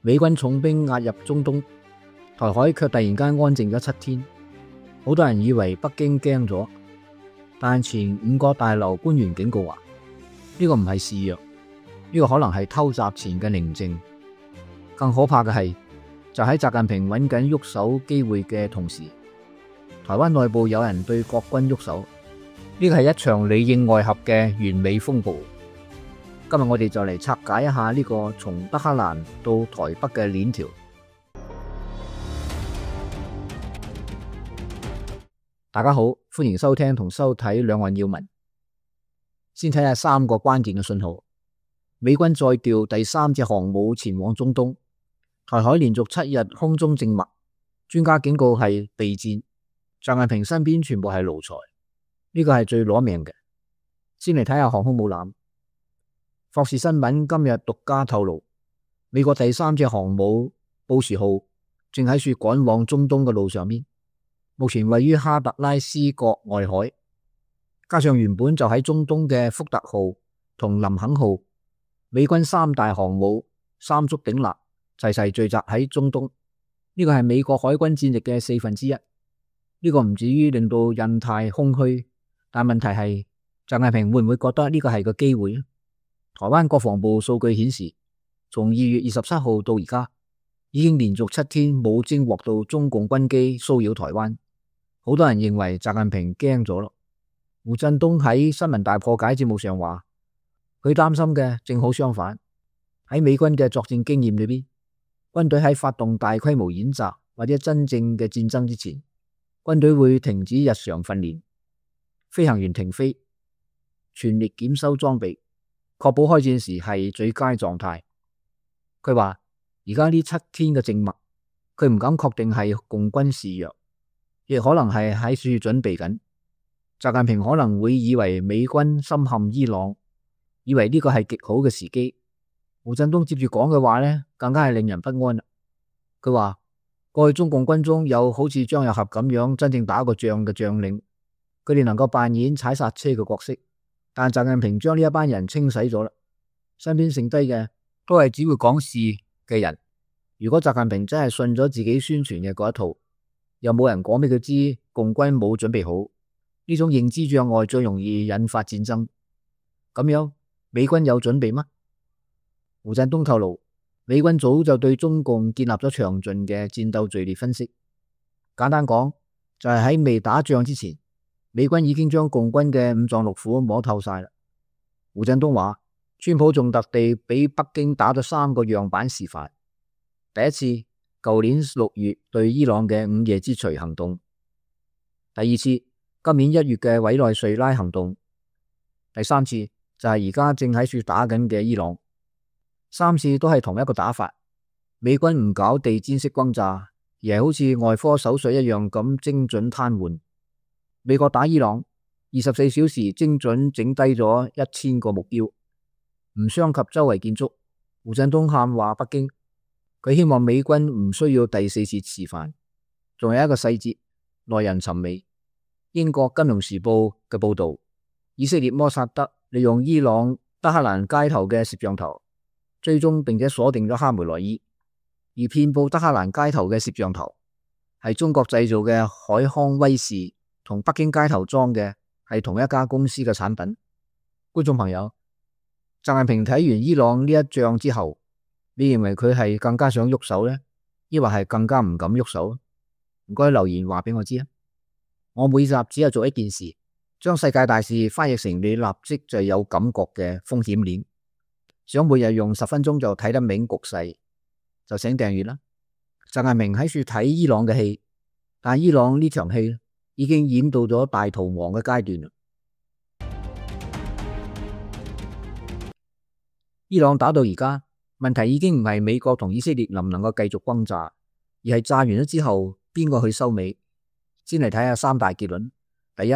美軍重兵壓入中東，台海卻突然間安靜咗7天。好多人以為北京驚咗，但前5個大樓官員警告話，呢個唔係示弱，呢個可能係偷襲前嘅寧靜。更可怕嘅係，就喺習近平揾緊喐手機會嘅同時，台灣內部有人對國軍喐手，呢個係一場裡應外合嘅完美風暴。今日我哋就嚟拆解一下呢個從德黑蘭到台北嘅鏈條。大家好，歡迎收聽同收睇兩岸要聞。先睇下3個關鍵嘅信號。美軍再調第3隻航母前往中東，台海連續7日空中靜默，專家警告係備戰。習近平身邊全部係奴才，呢個係最攞命嘅。先嚟睇下航空母艦。霍士新聞今日獨家透露，美國第3隻航母布什號正喺處趕往中東嘅路上面，目前位於哈特拉斯角外海，加上原本就喺中東嘅福特號同林肯號，美軍3大航母3足鼎立，齊齊聚集喺中東。呢個係美國海軍戰力嘅1/4。呢個唔至於令到印太空虛，但問題係習近平會唔會覺得呢個係個機會呢？台灣國防部數據顯示，從2月27號到而家，已經連續7天冇偵獲到中共軍機騷擾台灣。好多人認為習近平驚咗咯。胡振東喺新聞大破解節目上話，佢擔心嘅正好相反。喺美軍嘅作戰經驗裏邊，軍隊喺發動大規模演習或者真正嘅戰爭之前，軍隊會停止日常訓練，飛行員停飛，全力檢修裝備，確保開戰時係最佳狀態。佢話而家呢7天嘅靜默，佢唔敢確定係共軍示弱，亦可能係喺處準備緊。習近平可能會以為美軍深陷伊朗，以為呢個係極好嘅時機。胡振東接住講嘅話呢，更加係令人不安啦。佢話過去中共軍中有好似張又俠咁樣真正打過仗嘅將領，佢哋能夠扮演踩剎車嘅角色，但習近平將呢一班人清洗咗啦，身邊剩低嘅都係只會講事嘅人。如果習近平真係信咗自己宣傳嘅嗰一套，又冇人講俾佢知共軍冇準備好，呢種認知障礙最容易引發戰爭。咁樣美軍有準備嗎？胡振東透露，美軍早就對中共建立咗詳盡嘅戰鬥序列分析。簡單講，就係喺未打仗之前，美軍已經將共軍嘅五臟六腑摸透晒啦。胡振東話，川普仲特地俾北京打咗3個樣板示範。第一次，舊年6月對伊朗嘅午夜之錘行動；第二次，今年1月嘅委內瑞拉行動；第3次就係而家正喺處打緊嘅伊朗。3次都係同一個打法，美軍唔搞地毯式轟炸，而係好似外科手術一樣咁精準癱瘓。美國打伊朗24小時精準整低咗1000個目標，唔傷及周圍建築。胡振東喊話北京，佢希望美軍唔需要第4次示範。仲有一個細節耐人尋味，英國金融時報嘅報道，以色列摩薩德利用伊朗德黑蘭街頭嘅攝像頭追蹤並且鎖定咗哈梅內伊，而遍佈德黑蘭街頭嘅攝像頭係中國製造嘅海康威視，同北京街頭裝嘅係同一家公司嘅產品。觀眾朋友，習近平睇完伊朗呢一仗之後，你認為佢係更加想喐手呢？抑或係更加唔敢喐手？唔該留言話俾我知啊！我每集只係做一件事，將世界大事翻譯成你立即就有感覺嘅風險鏈。想每日用10分鐘就睇得明局勢，就請訂閱啦。習近平喺處睇伊朗嘅戲，但伊朗呢場戲已經演到咗大逃亡嘅階段啦。伊朗打到而家，問題已經唔係美國同以色列能唔能夠繼續轟炸，而係炸完咗之後邊個去收尾。先嚟睇下3大結論。第一，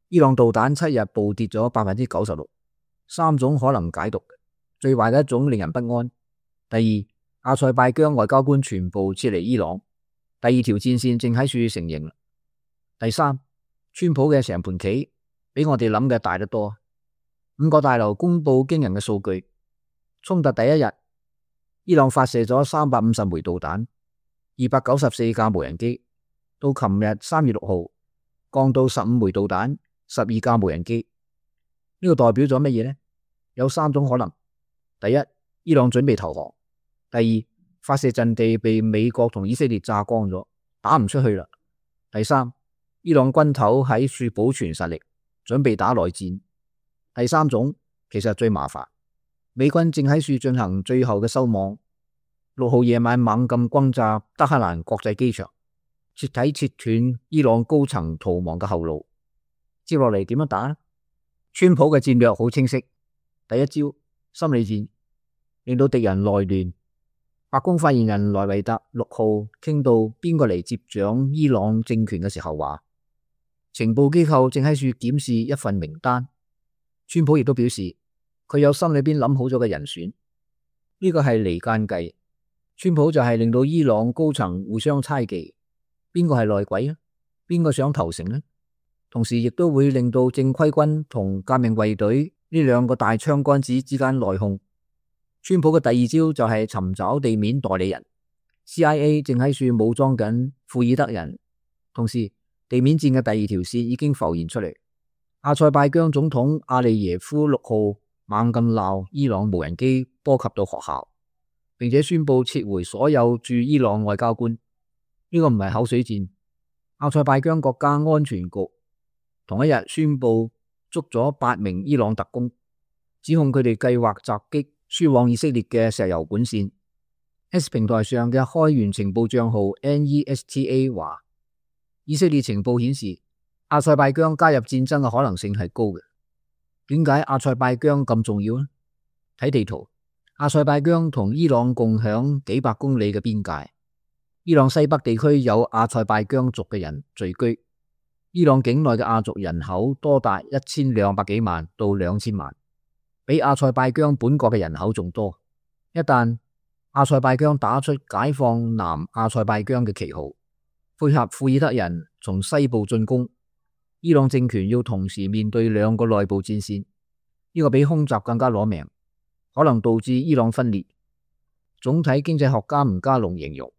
伊朗導彈7日暴跌咗96%， 3種可能解讀。最壞嘅一種令人不安。第二，阿塞拜疆外交官全部撤離伊朗，第2條戰線正喺處成形。第三，川普嘅成盤棋比我哋諗嘅大得多。5個大樓公布驚人嘅數據，衝突第1日伊朗發射咗350枚導彈，294架無人機，到琴日3月6號降到15枚導彈，12架無人機。呢個代表咗乜嘢呢？有3種可能：第一，伊朗準備投降；第二，發射陣地被美國同以色列炸光咗，打唔出去啦；第三，伊朗軍頭喺處保存實力，準備打內戰。第三種其實最麻煩，美軍正喺處進行最後嘅收網。6號夜晚猛咁轟炸德黑蘭國際機場，徹底切斷伊朗高層逃亡嘅後路。接落嚟點樣打呢？川普嘅戰略好清晰，第一招心理戰，令到敵人內亂。白宮發言人萊維特6號傾到邊個嚟接掌伊朗政權嘅時候話，情報機構正喺處檢視一份名單。川普亦都表示佢有心裏邊諗好咗嘅人選，呢個係離間計。川普就係令到伊朗高層互相猜忌，邊個係內鬼啊？邊個想投誠呢？同時亦都會令到正規軍同革命衛隊呢兩個大槍桿子之間內訌。川普嘅第二招就係尋找地面代理人 ，CIA 正喺處武裝緊庫爾德人，同時地面戰嘅第二條線已經浮現出嚟。阿塞拜疆總統阿利耶夫6號猛咁鬧伊朗無人機波及到學校，並且宣布撤回所有駐伊朗外交官。呢個唔係口水戰。阿塞拜疆國家安全局同一日宣布捉咗8名伊朗特工，指控佢哋計劃襲擊輸往以色列嘅石油管線。X 平台上嘅開源情報賬號 NESTA 話，以色列情報顯示阿塞拜疆加入戰爭嘅可能性係高嘅。點解阿塞拜疆咁重要呢？睇地圖，阿塞拜疆同伊朗共享幾百公里嘅邊界。伊朗西北地區有阿塞拜疆族嘅人聚居，伊朗境內嘅亞族人口多達1200幾萬到2000萬，比阿塞拜疆本國嘅人口仲多。一旦阿塞拜疆打出解放南阿塞拜疆嘅旗號，配合庫爾德人從西部進攻，伊朗政權要同時面對2個內部戰線，呢個比空襲更加攞命，可能導致伊朗分裂。總體經濟學家吳家龍形容，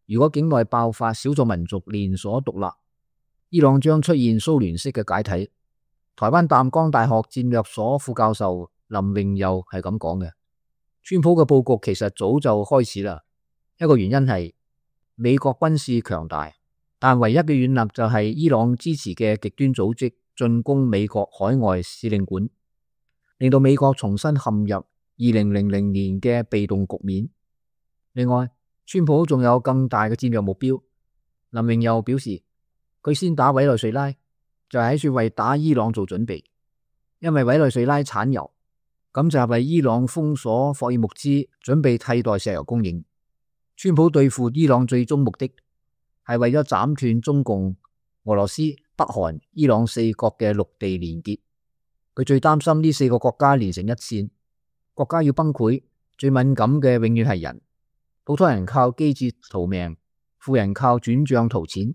如果境內爆發少數民族連鎖獨立，伊朗將出現蘇聯式嘅解體。台灣淡江大學戰略所副教授林榮佑係咁講嘅。川普嘅布局其實早就開始啦，一個原因係美國軍事強大，但唯一嘅軟肋就係伊朗支持嘅極端組織進攻美國海外使領館，令到美國重新陷入2000年嘅被動局面。另外，川普仲有更大嘅戰略目標。林榮佑表示，佢先打委內瑞拉，就係喺處為打伊朗做準備，因為委內瑞拉產油，咁就係為伊朗封鎖霍爾木茲，準備替代石油供應。川普對付伊朗最終目的係為咗斬斷中共、俄羅斯、北韓、伊朗4國嘅陸地連結。佢最擔心呢4個國家連成一線，國家要崩潰，最敏感嘅永遠係人。普通人靠機智逃命，富人靠轉賬圖錢。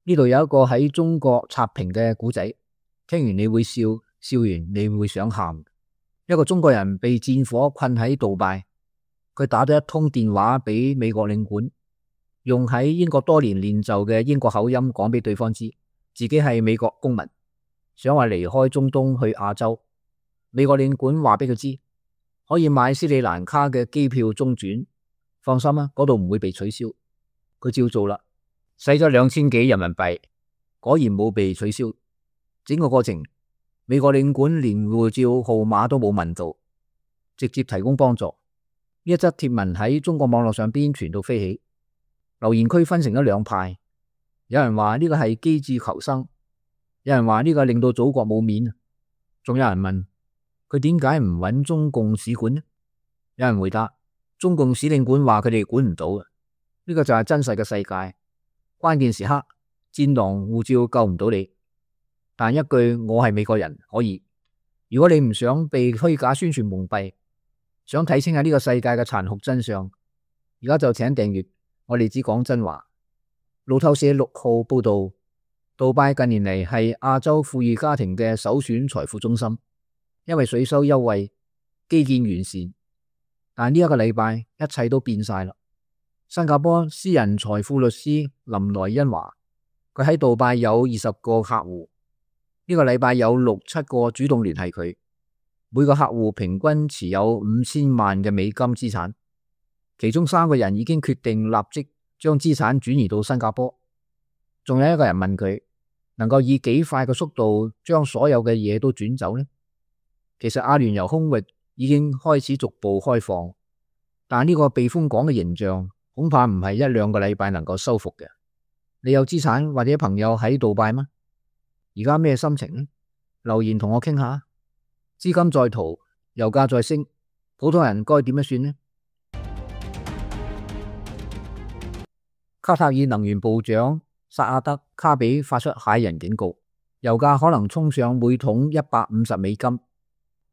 呢度有一個喺中國刷屏嘅故仔，聽完你會笑，笑完你會想喊。一個中國人被戰火困喺杜拜，佢打咗一通電話俾美國領館，用喺英國多年練就嘅英國口音講俾對方知，自己係美國公民，想話離開中東去亞洲。美國領館話俾佢知，可以買斯里蘭卡嘅機票中轉，放心啊，嗰度唔會被取消。佢照做啦，使咗2000幾人民幣，果然冇被取消。整個過程，美國領館連護照號碼都冇問到，直接提供幫助。呢一則貼文喺中國網絡上邊傳到飛起，留言區分成咗2派，有人話呢個係機智求生，有人話呢個令到祖國冇面，仲有人問佢點解唔揾中共使館呢？有人回答，中共使領館話佢哋管唔到嘅。呢個就係真實嘅世界，關鍵時刻戰狼護照救唔到你，但一句我係美國人可以。如果你唔想被虛假宣傳蒙蔽，想睇清下呢個世界嘅殘酷真相，而家就請訂閱我哋只講真話。路透社6號報道，杜拜近年嚟係亞洲富裕家庭嘅首選財富中心，因為稅收優惠，基建完善。但呢一個禮拜一切都變晒啦。新加坡私人財富律師林萊恩話，佢喺杜拜有20個客戶，呢個禮拜有6-7個主動聯繫佢，每個客戶平均持有5000萬嘅美金資產，其中3個人已經決定立即將資產轉移到新加坡。仲有一個人問佢能夠以幾快嘅速度將所有嘅嘢都轉走呢？其實阿聯酋空域已經開始逐步開放，但呢個避風港嘅形象恐怕唔係1-2個禮拜能夠修復嘅。你有資產或者朋友喺杜拜嗎？而家咩心情呢？留言同我傾下。資金在逃，油價在升，普通人該點樣算呢？卡塔爾能源部長薩阿德卡比發出駭人警告，油價可能衝上每桶150美金。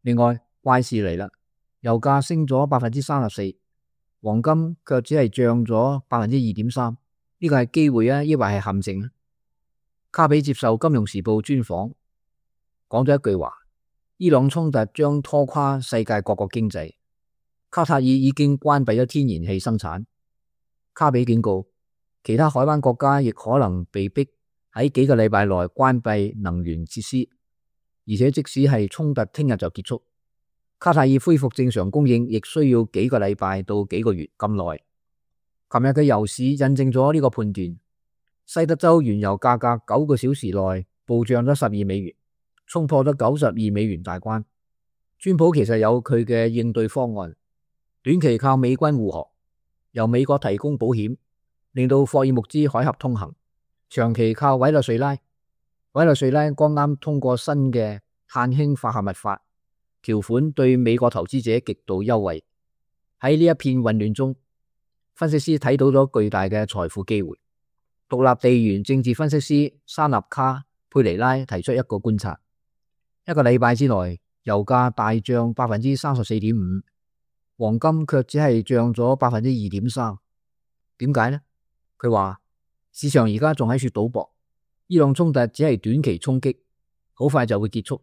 另外，怪事嚟啦，油價升咗34%，黃金卻只係漲咗2.3%，呢個係機會啊，抑或係陷阱啊？卡比接受《金融時報》專訪，講咗一句話：伊朗衝突將拖垮世界各國經濟。卡塔爾已經關閉咗天然氣生產。卡比警告，其他海灣國家亦可能被逼喺幾個禮拜內關閉能源設施，而且即使係衝突聽日就結束，卡塔爾恢復正常供應亦需要幾個禮拜到幾個月咁耐。琴日嘅油市印證咗呢個判斷，西德州原油價格9個小時內暴漲咗12美元，衝破咗92美元大關。川普其實有佢嘅應對方案，短期靠美軍護航，由美國提供保險，令到霍爾木茲海峽通行；長期靠委內瑞拉。委內瑞拉剛啱通過新嘅碳氫化合物法，條款對美國投資者極度優惠。喺呢一片混亂中，分析師睇到咗巨大嘅財富機會。獨立地緣政治分析師沙納卡佩尼拉提出一個觀察：一個禮拜之內，油價大漲34.5%，黃金卻只係漲咗2.3%。點解呢？佢話市場而家仲喺度賭博，伊朗衝突只係短期衝擊，好快就會結束。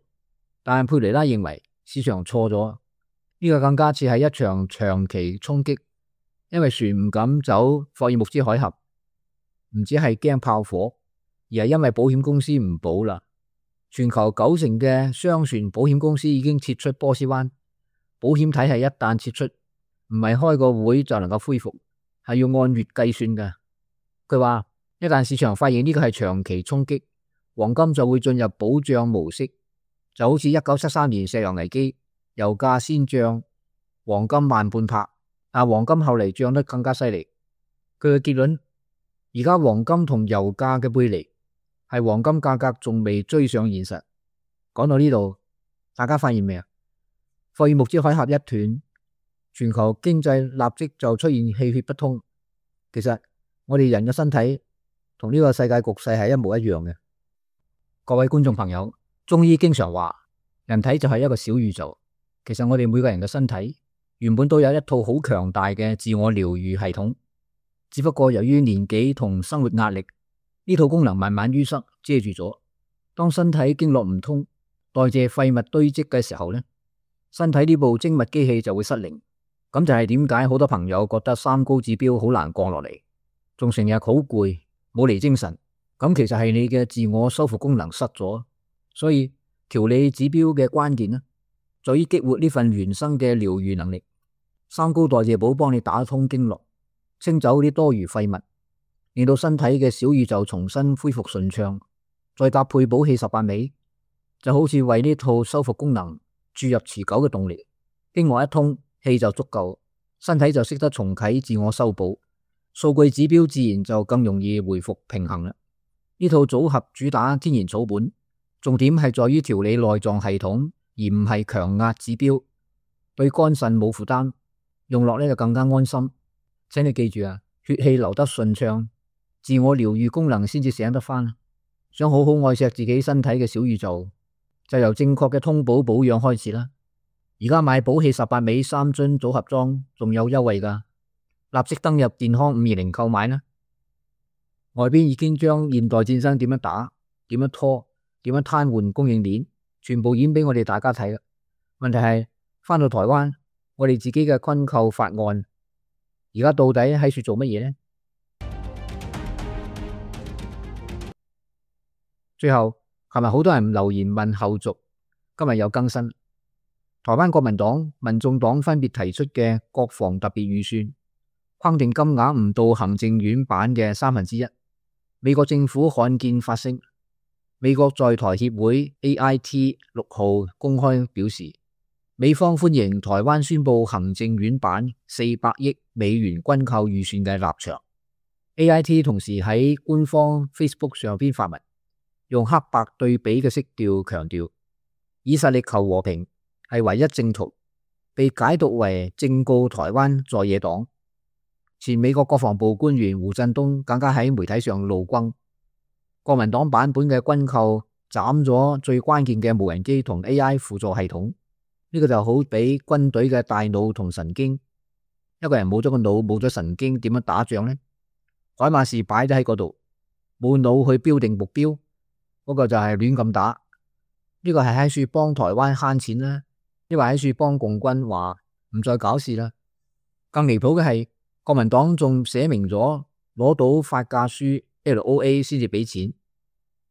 但佩尼拉認為市場錯咗，呢個更加似係一場長期衝擊，因為船唔敢走霍爾木茲海峽，唔止係驚炮火，而係因為保險公司唔保啦。全球90%嘅商船保險公司已經撤出波斯灣，保險體系一旦撤出，唔係開個會就能夠恢復，係要按月計算嘅。佢話一旦市場發現呢個係長期衝擊，黃金就會進入保障模式，就好似1973年石油危機，油價先漲，黃金慢半拍，但黃金後嚟漲得更加犀利。佢嘅結論，而家黃金同油價嘅背離係黃金價格仲未追上現實。講到呢度，大家發現未啊？霍爾木茲海峽一斷，全球經濟立即就出現氣血不通。其實我哋人嘅身體同呢個世界局勢係一模一樣嘅。各位觀眾朋友，中醫經常話人體就係一個小宇宙。其實我哋每個人嘅身體原本都有一套好強大嘅自我療愈系統，只不過由於年紀同生活壓力，呢套功能慢慢淤塞遮住咗。當身體經絡唔通，代謝廢物堆積嘅時候呢，身體呢部精密機器就會失靈。咁就係點解好多朋友覺得三高指標好難降落嚟，仲成日好攰，冇嚟精神。咁其實係你嘅自我修復功能失咗。所以調理指標嘅關鍵呢，在於激活呢份原生嘅療愈能力。三高代謝寶幫你打通經絡，清走啲多餘廢物，令到身體嘅小宇宙重新恢復順暢。再搭配補氣18味，就好似為呢套修復功能注入持久嘅動力。經絡一通，氣就足夠，身體就識得重啟自我修補，數據指標自然就更容易回復平衡啦。呢套組合主打天然草本，重點係在於調理內臟系統，而唔係強壓指標，對肝腎冇負擔，用落呢就更加安心。請你記住啊，血氣流得順暢，自我療愈功能先至醒得返。想好好愛錫自己身體嘅小宇宙，就由正確嘅通補保養開始啦。而家買補氣18味3樽組合裝仲有優惠㗎，立即登入健康520購買啦。外邊已經將現代戰爭點樣打、點樣拖、點樣癱瘓供應鏈，全部演俾我哋大家睇啦。問題係返到台灣，我哋自己嘅軍購法案，而家到底喺處做乜嘢呢？最後，琴日好多人留言問後續，今日有更新。台灣國民黨、民眾黨分別提出嘅國防特別預算，框定金額唔到行政院版嘅1/3。美國政府罕見發聲，美國在台協會 AIT 6號公開表示，美方歡迎台灣宣布行政院版400億美元軍購預算嘅立場。AIT 同時喺官方 Facebook 上邊發文，用黑白對比嘅色調強調，以實力求和平係唯一正途，被解讀為正告台灣在野黨。前美國國防部官員胡振東更加喺媒體上怒轟，國民黨版本嘅軍購斬咗最關鍵嘅無人機同 AI 輔助系統，呢個就好比軍隊嘅大腦同神經，一個人冇咗個腦冇咗神經點樣打仗呢？海馬士擺咗喺嗰度，冇腦去標定目標，嗰個就係亂咁打。呢個係喺處幫台灣慳錢啦，抑或喺處幫共軍話唔再搞事啦。更離譜嘅係，國民黨仲寫明咗攞到發價書 LOA 先至俾錢。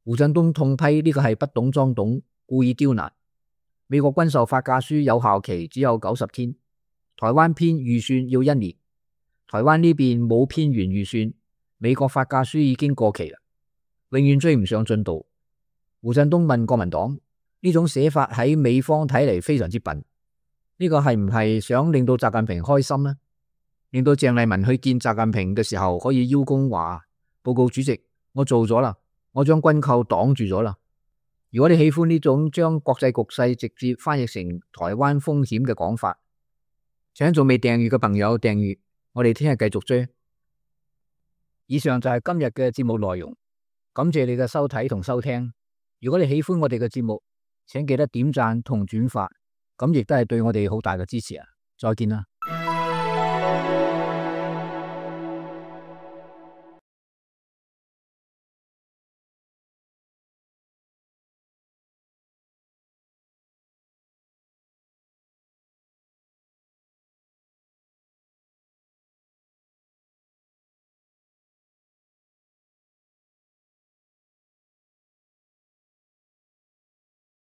胡振東痛批呢個係不懂裝懂，故意刁難。美國軍售發價書有效期只有90天，台灣編預算要1年，台灣呢邊冇編完預算，美國發價書已經過期啦，永遠追唔上進度。胡振東問國民黨，呢種寫法喺美方睇嚟非常之笨，呢個係唔係想令到習近平開心呢？令到鄭麗文去見習近平嘅時候可以邀功話，報告主席，我做咗啦，我將軍購擋住咗啦。如果你喜歡呢種將國際局勢直接翻譯成台灣風險嘅講法，請仲未訂閱嘅朋友訂閱，我哋聽日繼續追。以上就係今日嘅節目內容，感謝你嘅收睇同收聽。如果你喜歡我哋嘅節目，請記得點讚同轉發，咁亦都係對我哋好大嘅支持啊！再見啦。